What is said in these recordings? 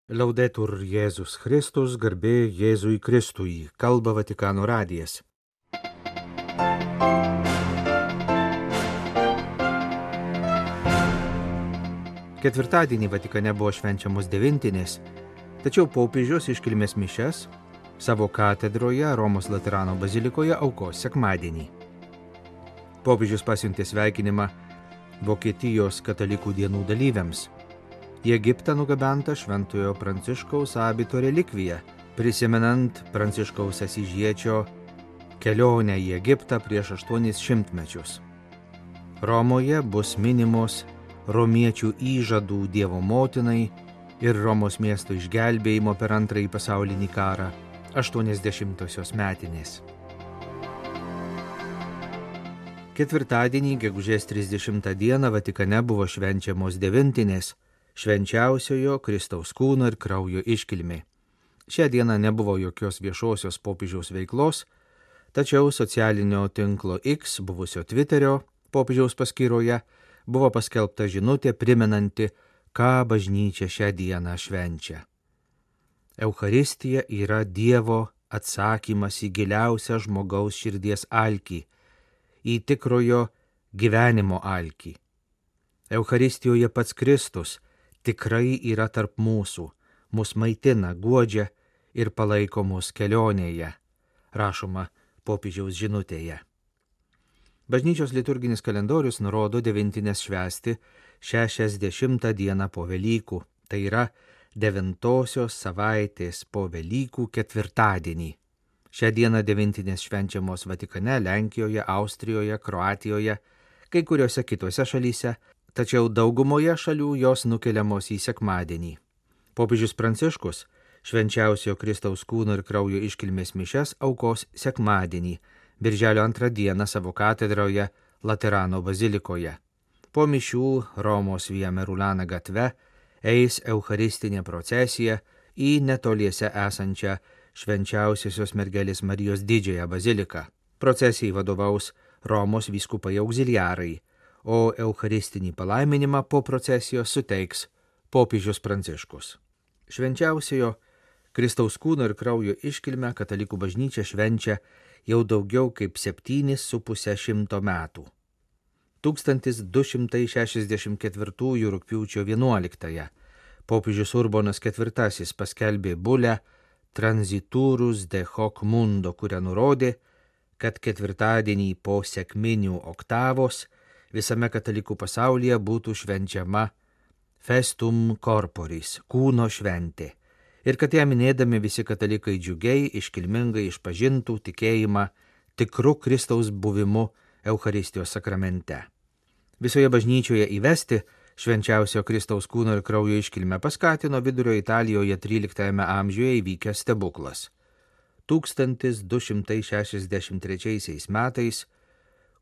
Laudetur Jėzus Kristus, garbė Jėzui Kristui, kalba Vatikano radijas. Ketvirtadienį Vatikane buvo švenčiamos devintinės, tačiau popiežius iškilmės mišias savo katedroje Romos Laterano bazilikoje aukos sekmadienį. Popiežius pasiuntė sveikinimą Vokietijos katalikų dienų dalyviams. Į Egiptą nugabenta Šventojo Pranciškaus abito relikvija, prisimenant Pranciškaus Asyžiečio kelionę į Egiptą prieš 800 mečius. Romoje bus minimos romiečių įžadų Dievo motinai ir Romos miesto išgelbėjimo per Antrąjį pasaulinį karą 80-osios metinės. Ketvirtadienį, gegužės 30 dieną, Vatikane buvo švenčiamos devintinės, švenčiausiojo Kristaus kūno ir kraujo iškilmė. Šią dieną nebuvo jokios viešosios popiežiaus veiklos, tačiau socialinio tinklo X, buvusio Twitterio popiežiaus paskyroje, buvo paskelbta žinutė primenanti, ką bažnyčia šią dieną švenčia. Eucharistija yra Dievo atsakymas į giliausią žmogaus širdies alkį, į tikrojo gyvenimo alkį. Eucharistijoje pats Kristus tikrai yra tarp mūsų, mus maitina, guodžia ir palaiko mus kelionėje, rašoma popiežiaus žinutėje. Bažnyčios liturginis kalendorius nurodo devintinės švęsti 60 dieną po Velykų, tai yra 9-osios savaitės po Velykų ketvirtadienį. Šią dieną devintinės švenčiamos Vatikane, Lenkijoje, Austrijoje, Kroatijoje, kai kuriuose kitose šalyse, tačiau daugumoje šalių jos nukeliamos į sekmadienį. Popiežius Pranciškus švenčiausiojo Kristaus kūno ir kraujo iškilmės mišias aukos sekmadienį, birželio 2 dieną savo katedroje Laterano bazilikoje. Po mišių Romos Via Merulana gatve eis eucharistinė procesija į netoliese esančią švenčiausiosios mergelės Marijos didžiąją baziliką. Procesijai vadovaus Romos vyskupai augziliarai, o eucharistinį palaiminimą po procesijos suteiks popiežius Pranciškus. Švenčiausiojo Kristaus kūno ir kraujo iškilmę katalikų bažnyčia švenčia jau daugiau kaip 7,5 metų. 1264 rugpjūčio 11 popiežius Urbonas IV paskelbė bulę Transiturus de hoc mundo, kuria nurodė, kad ketvirtadienį po sekminių oktavos visame katalikų pasaulyje būtų švenčiama festum corporis, kūno šventė, ir kad ją minėdami visi katalikai džiugiai, iškilmingai išpažintų tikėjimą tikru Kristaus buvimu Eucharistijos sakramente. Visoje bažnyčioje įvesti švenčiausio Kristaus kūno ir kraujo iškilmę paskatino Vidurio Italijoje 13 amžiuje įvykęs stebuklas. 1263 metais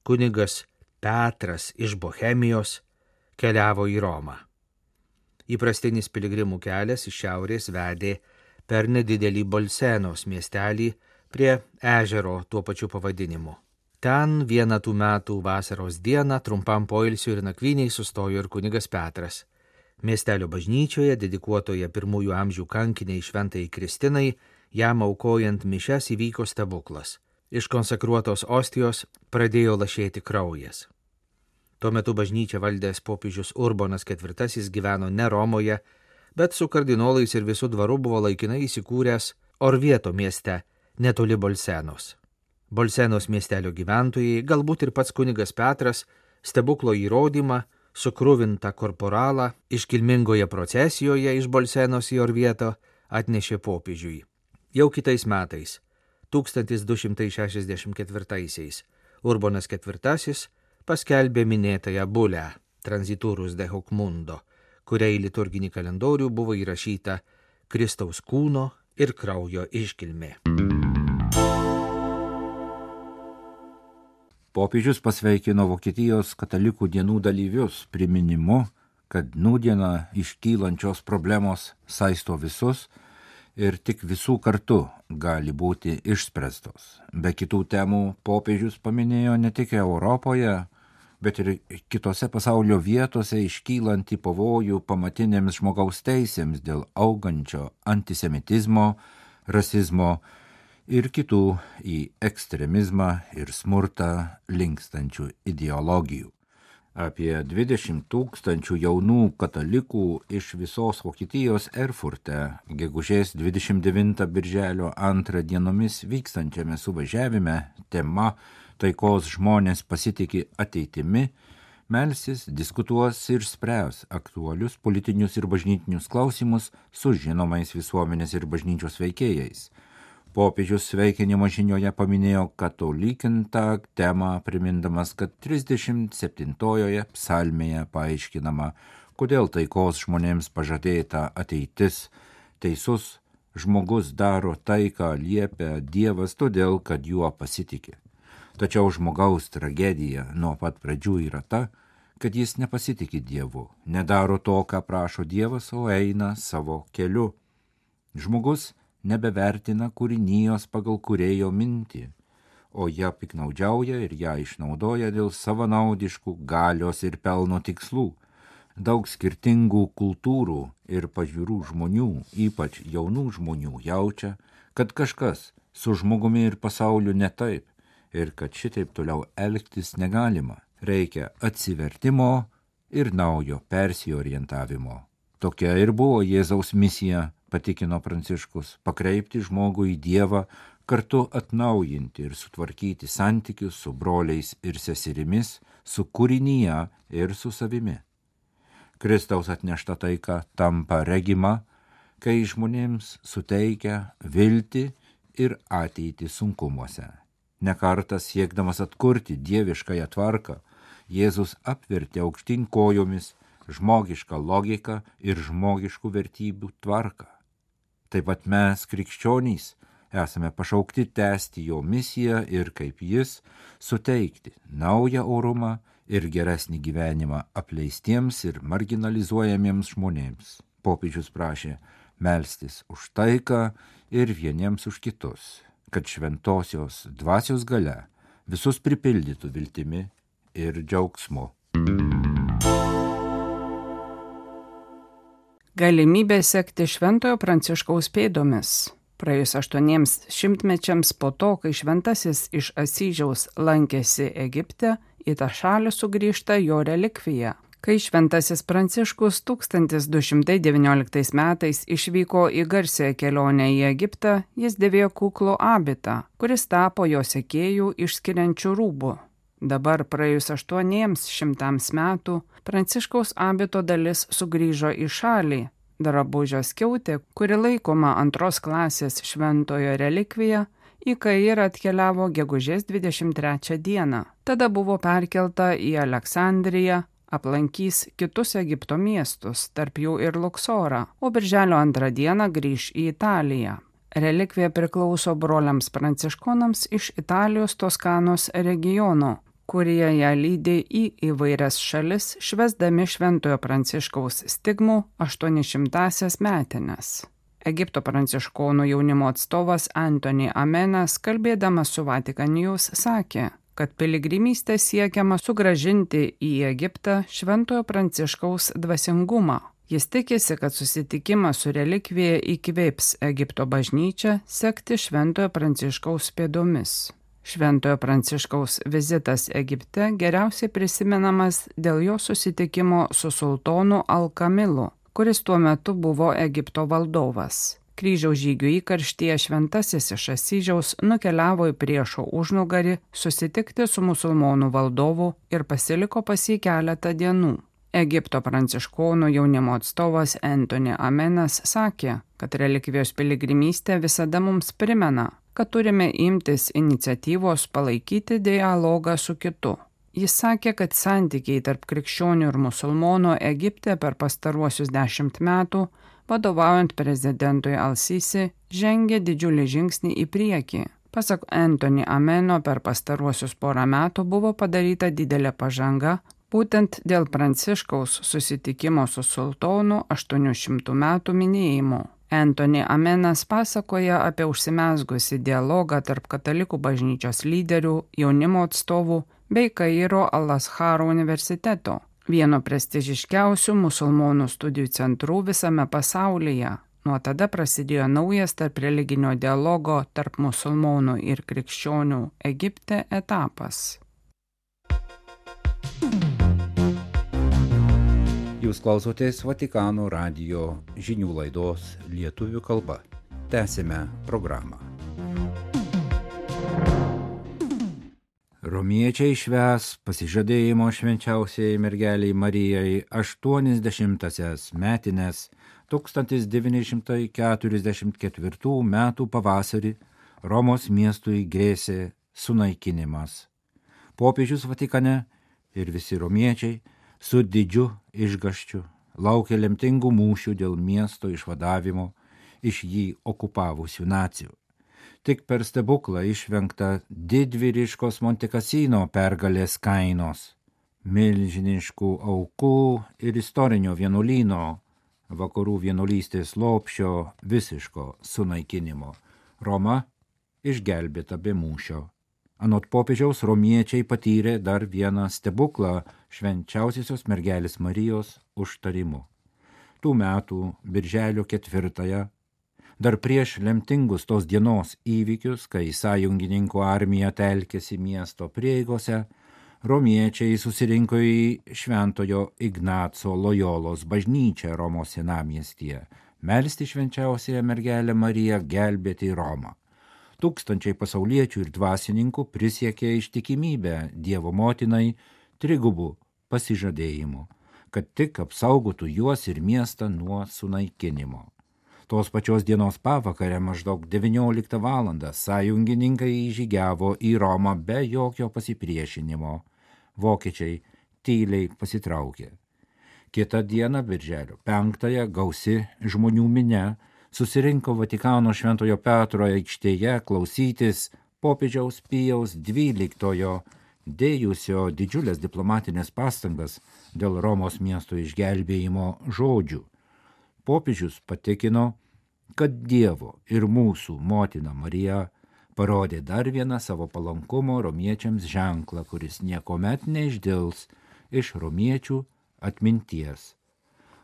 kunigas Petras iš Bohemijos keliavo į Romą. Įprastinis piligrimų kelias iš šiaurės vedė per nedidelį Bolsenos miestelį prie ežero tuo pačiu pavadinimu. Ten vieną tų metų vasaros dieną trumpam poilsiui ir nakvyniai sustojo ir kunigas Petras. Miestelio bažnyčioje, dedikuotoje 1 amžių kankiniai Šventajai Kristinai, jam aukojant mišias įvyko stebuklas. Iš konsekruotos ostijos pradėjo lašėti kraujas. Tuo metu bažnyčią valdęs popiežius Urbonas IV gyveno ne Romoje, bet su kardinolais ir visų dvaru buvo laikinai įsikūręs Orvieto mieste, netoli Bolsenos. Bolsenos miestelio gyventojai, galbūt ir pats kunigas Petras, stebuklo įrodymą, sukruvintą korporalą iškilmingoje procesijoje iš Bolsenos į Orvieto atnešė popiežiui. Jau kitais metais, 1264, Urbonas IV paskelbė minėtąją bulę Transiturus de hoc mundo, kuria į liturginį kalendorių buvo įrašyta Kristaus kūno ir kraujo iškilmė. Popiežius pasveikino Vokietijos katalikų dienų dalyvius priminimu, kad nūdieną iškylančios problemos saisto visus ir tik visų kartu gali būti išspręstos. Be kitų temų popiežius paminėjo ne tik Europoje, bet ir kitose pasaulio vietose iškylantį pavojų pamatinėms žmogaus teisėms dėl augančio antisemitizmo, rasizmo ir kitų į ekstremizmą ir smurtą linkstančių ideologijų. Apie 20 000 jaunų katalikų iš visos Vokietijos Erfurte gegužės 29 birželio 2 dienomis vykstančiame suvažiavime tema taikos žmonės pasitiki ateitimi, melsis, diskutuos ir spręs aktualius politinius ir bažnytinius klausimus su žinomais visuomenės ir bažnyčios veikėjais. Popiežius sveikinimo žinioje paminėjo katalikintą temą, primindamas, kad 37 psalmėje paaiškinama, kodėl taikos žmonėms pažadėta ateitis. Teisus žmogus daro tai, ką liepia Dievas, todėl, kad juo pasitiki. Tačiau žmogaus tragedija nuo pat pradžių yra ta, kad jis nepasitiki Dievu, nedaro to, ką prašo Dievas, o eina savo keliu. Žmogus nebevertina kūrinijos pagal kūrėjo mintį, o ją piknaudžiauja ir ją išnaudoja dėl savanaudiškų galios ir pelno tikslų. Daug skirtingų kultūrų ir pažiūrų žmonių, ypač jaunų žmonių, jaučia, kad kažkas su žmogumi ir pasauliu ne taip ir kad šitaip toliau elgtis negalima. Reikia atsivertimo ir naujo persiorientavimo. Tokia ir buvo Jėzaus misija, patikino Pranciškus, pakreipti žmogų į Dievą, kartu atnaujinti ir sutvarkyti santykius su broliais ir seserimis, su kūrinyje ir su savimi. Kristaus atnešta taika tampa regima, kai žmonėms suteikia viltį ir ateitį sunkumuose. Nekartą siekdamas atkurti dieviškąją tvarką, Jėzus apvertė aukštyn kojomis žmogišką logiką ir žmogiškų vertybių tvarką. Taip pat mes, krikščionys, esame pašaukti tęsti jo misiją ir kaip jis suteikti naują orumą ir geresnį gyvenimą apleistiems ir marginalizuojamiems žmonėms. Popiežius prašė melstis už taiką ir vieniems už kitus, kad šventosios dvasios galia visus pripildytų viltimi ir džiaugsmu. Galimybė sekti Šventojo Pranciškaus pėdomis. Praėjus 8 šimtmečiams po to, kai šventasis iš Asyžiaus lankėsi Egipte, į tą šalį sugrįžta jo relikvija. Kai šventasis Pranciškus 1219 metais išvyko į garsiąją kelionę į Egiptą, jis dėvėjo kuklų abitą, kuris tapo jo sekėjų išskiriančių rūbų. Dabar praėjus 800 metų, Pranciškaus abito dalis sugrįžo į šalį. Drabužio skiautė, kuri laikoma 2 klasės šventojo relikvija, į Kairą atkeliavo gegužės 23 dieną. Tada buvo perkelta į Aleksandriją, aplankys kitus Egipto miestus, tarp jų ir Luksorą, o birželio 2 dieną grįš į Italiją. Relikvija priklauso broliams pranciškonams iš Italijos Toskanos regiono, kurie ją lydė į įvairias šalis, švęsdami Šventojo Pranciškaus stigmų 800-asias metines. Egipto pranciškonų jaunimo atstovas Antony Amenas, kalbėdamas su Vatican News, sakė, kad piligrimystė siekiama sugrąžinti į Egiptą Šventojo Pranciškaus dvasingumą. Jis tikisi, kad susitikimas su relikvija įkvėps Egipto bažnyčią sekti Šventojo Pranciškaus pėdomis. Šventojo Pranciškaus vizitas Egipte geriausiai prisimenamas dėl jo susitikimo su sultonu Al-Kamilu, kuris tuo metu buvo Egipto valdovas. Kryžiaus žygių įkarštyje šventasis iš Asyžiaus nukeliavo į priešo užnugarį susitikti su musulmonų valdovu ir pasiliko pas jį keletą dienų. Egipto pranciškonų jaunimo atstovas Antony Amenas sakė, kad relikvijos piligrimystė visada mums primena, kad turime imtis iniciatyvos palaikyti dialogą su kitu. Jis sakė, kad santykiai tarp krikščionių ir musulmonų Egipte per pastaruosius 10 metų, vadovaujant prezidentui Al-Sisi, žengė didžiulį žingsnį į priekį. Pasak Antony Ameno, per pastaruosius 1 metų buvo padaryta didelė pažanga, būtent dėl Pranciškaus susitikimo su sultonu 800 metų minėjimu. Antony Amenas pasakoja apie užsimezgusį dialogą tarp katalikų bažnyčios lyderių, jaunimo atstovų bei Kairo Al-Azharo universiteto, vieno prestižiškiausių musulmonų studijų centrų visame pasaulyje. Nuo tada prasidėjo naujas tarp religinio dialogo tarp musulmonų ir krikščionių Egipte etapas. Jūs klausotės Vatikano radijo žinių laidos lietuvių kalba. Tęsime programą. Romiečiai švęs pasižadėjimo švenčiausiai mergeliai Marijai 80-asias metines 1944 metų pavasarį Romos miestui grėsė sunaikinimas. Popiežius Vatikane ir visi romiečiai su didžiu išgąsčiu laukia lemtingų mūšių dėl miesto išvadavimo iš jį okupavusių nacių. Tik per stebuklą išvengta didvyriškos Montekasino pergalės kainos, milžiniškų aukų ir istorinio vienuolyno, vakarų vienuolystės lopšio visiško sunaikinimo. Roma išgelbėta be mūšio. Anot popiežiaus romiečiai patyrė dar vieną stebuklą švenčiausiosios mergelės Marijos užtarimu. Tų metų birželio 4, dar prieš lemtingus tos dienos įvykius, kai sąjungininkų armija telkėsi miesto prieigose, romiečiai susirinko į Šventojo Ignaco Lojolos bažnyčią Romos senamiestyje, melsti švenčiausiąją mergelę Mariją gelbėti Romą. Tūkstančiai pasauliečių ir dvasininkų prisiekė ištikimybę Dievo motinai trigubų pasižadėjimų, kad tik apsaugotų juos ir miestą nuo sunaikinimo. Tos pačios dienos pavakarę maždaug 19 valandą sąjungininkai įžygiavo į Romą be jokio pasipriešinimo. Vokiečiai tyliai pasitraukė. Kitą dieną, birželio 5, gausi žmonių minia susirinko Vatikano Šventojo Petro aikštėje klausytis popiežiaus Pijaus XII dėjusio didžiulės diplomatinės pastangas dėl Romos miesto išgelbėjimo žodžių. Popiežius patikino, kad Dievo ir mūsų motina Marija parodė dar vieną savo palankumo romiečiams ženklą, kuris niekuomet neišdils iš romiečių atminties.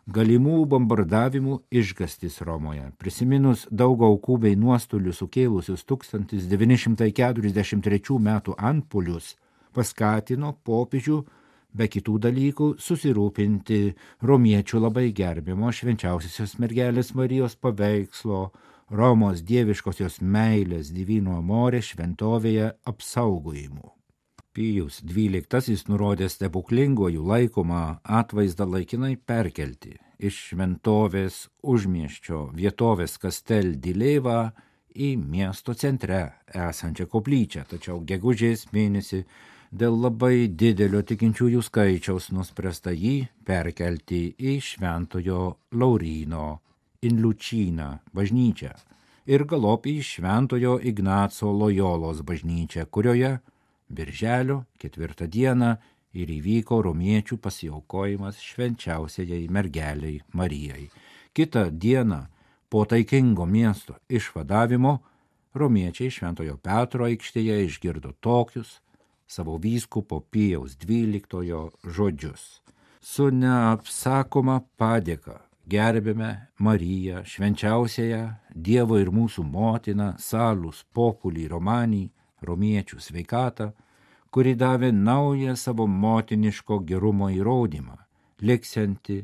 Galimų bombardavimų išgąstis Romoje, prisiminus daug aukų bei nuostolių sukėlusius 1943 metų antpuolius, paskatino popiežių be kitų dalykų susirūpinti romiečių labai gerbimo švenčiausiosios mergelės Marijos paveikslo Romos dieviškosios meilės Divino Amore šventovėje apsaugojimu. Pijus XII nurodė stebuklingojų laikomą atvaizdą laikinai perkelti iš šventovės užmiesčio vietovės Castel di Leva į miesto centre esančią koplyčią, tačiau gegužės mėnesį dėl labai didelio tikinčiųjų skaičiaus nuspręsta jį perkelti į Šventojo Lauryno in Lucina bažnyčią ir galop į Šventojo Ignaco Lojolos bažnyčią, kurioje birželio 4 dieną ir įvyko romiečių pasiaukojimas švenčiausiajai mergeliai Marijai. Kitą dieną po taikingo miesto išvadavimo romiečiai Šventojo Petro aikštėje išgirdo tokius savo vyskupo Pijaus XII žodžius. Su neapsakoma padėka gerbėme Mariją, švenčiausiąją Dievo ir mūsų motiną, salus populi romani, romiečių sveikatą, kuri davė naują savo motiniško gerumo įrodymą, liksianti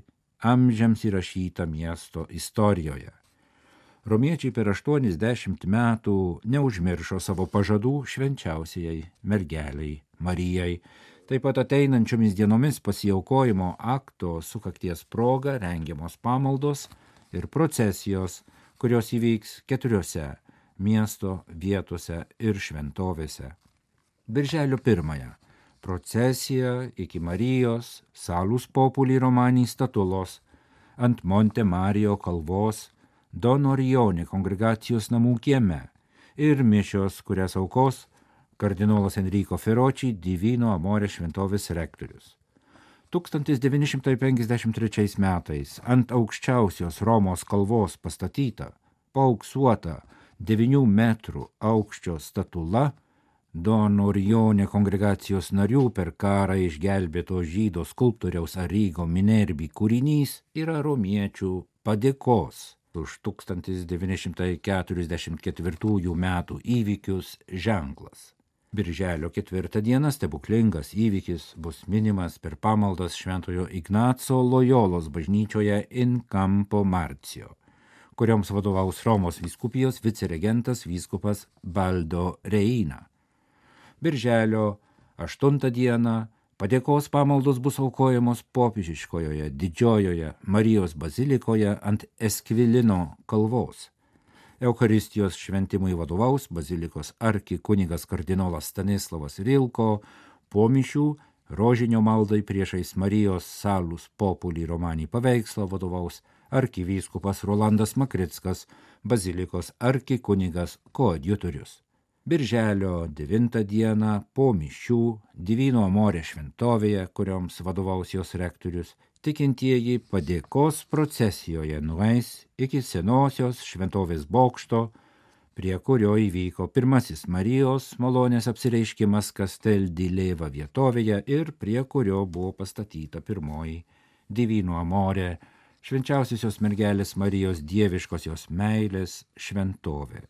amžiams įrašytą miesto istorijoje. Romiečiai per 80 metų neužmiršo savo pažadų švenčiausiai mergeliai Marijai. Taip pat ateinančiomis dienomis pasiaukojimo akto sukakties proga rengiamos pamaldos ir procesijos, kurios įvyks 4 miesto vietose ir šventovėse. Birželio 1 procesija iki Marijos salus populi romani statulos ant Monte Mario kalvos Don Orione kongregacijos namų kieme ir mišios, kurias aukos kardinolas Enrico Ferroci, Divino Amore šventovės rektorius. 1953 metais ant aukščiausios Romos kalvos pastatyta, paauksuota 9 metrų aukščio statula Don Orione kongregacijos narių per karą išgelbėto žydo skulptoriaus Arrigo Minerbi kūrinys yra romiečių padėkos už 1944 metų įvykius ženklas. Birželio 4 dieną stebuklingas įvykis bus minimas per pamaldas Šventojo Ignaco Lojolos bažnyčioje in Campo Marzio, kurioms vadovaus Romos vyskupijos viceregentas vyskupas Baldo Reina. Birželio 8 dieną padėkos pamaldos bus aukojamos popiežiškojoje didžiojoje Marijos bazilikoje ant Eskvilino kalvos. Eucharistijos šventimui vadovaus bazilikos arkikunigas kardinolas Stanislavas Rilko, po mišių rožinio maldai priešais Marijos Salus Populi Romani paveikslą vadovaus arkivyskupas Rolandas Makrickas, bazilikos arkikunigas koadjutorius. Birželio 9 dieną po mišių Divino Amore šventovėje, kurioms vadovaus jos rektorius, tikintieji padėkos procesijoje nueis iki senosios šventovės bokšto, prie kurio įvyko pirmasis Marijos malonės apsireiškimas Castel di Leva vietovėje ir prie kurio buvo pastatyta pirmoji Divino Amore, švenčiausiosios mergelės Marijos dieviškosios meilės šventovė.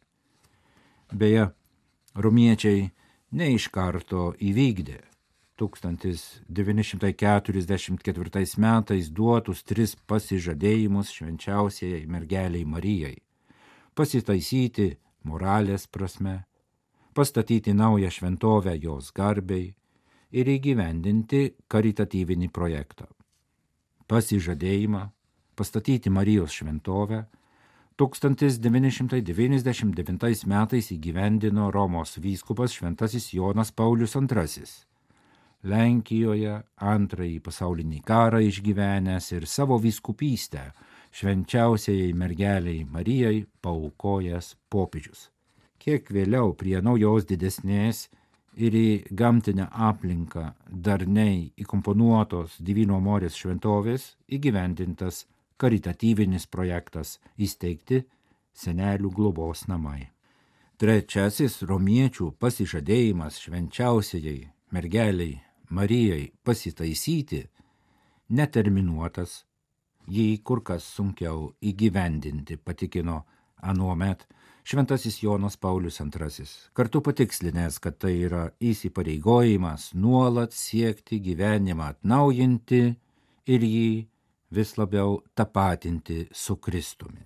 Beje, romiečiai ne iš karto įvykdė 1944 metais duotus 3 pasižadėjimus švenčiausiai mergeliai Marijai: pasitaisyti moralės prasme, pastatyti naują šventovę jos garbei ir įgyvendinti karitatyvinį projektą. Pasižadėjimą pastatyti Marijos šventovę 1999 metais įgyvendino Romos vyskupas šventasis Jonas Paulius II. Lenkijoje antrąjį pasaulinį karą išgyvenęs ir savo vyskupystę švenčiausiai mergeliai Marijai paaukojęs popiežius. Kiek vėliau prie naujos didesnės ir į gamtinę aplinką darniai įkomponuotos Divino Amorės šventovės įgyvendintas karitatyvinis projektas įsteigti senelių globos namai. Trečiasis romiečių pasižadėjimas švenčiausiai mergeliai Marijai pasitaisyti neterminuotas, jį kur kas sunkiau įgyvendinti, patikino anuomet šventasis Jonas Paulius II, kartu patikslinęs, kad tai yra įsipareigojimas nuolat siekti gyvenimą atnaujinti ir jį vis labiau tapatinti su Kristumi.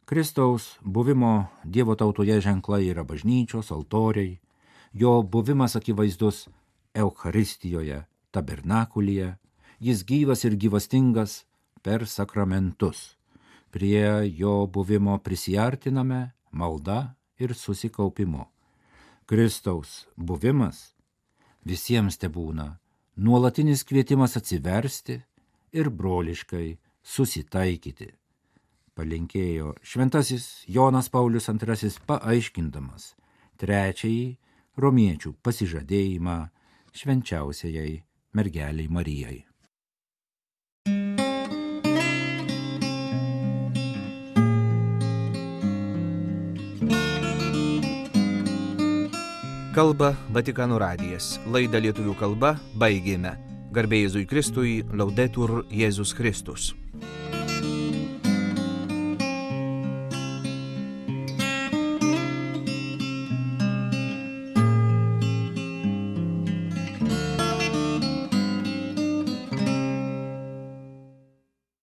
Kristaus buvimo Dievo tautoje ženklai yra bažnyčios, altoriai, jo buvimas akivaizdus Eucharistijoje, tabernakulyje, jis gyvas ir gyvastingas per sakramentus. Prie jo buvimo prisiartiname malda ir susikaupimu. Kristaus buvimas visiems tebūna nuolatinis kvietimas atsiversti ir broliškai susitaikyti, palinkėjo šventasis Jonas Paulius II, paaiškindamas trečiąjį romiečių pasižadėjimą švenčiausiai mergeliai Marijai. Kalba Vatikano radijas. Laidą lietuvių kalba baigėme. Garbė Jėzui Kristui, Laudetur Jėzus Kristus.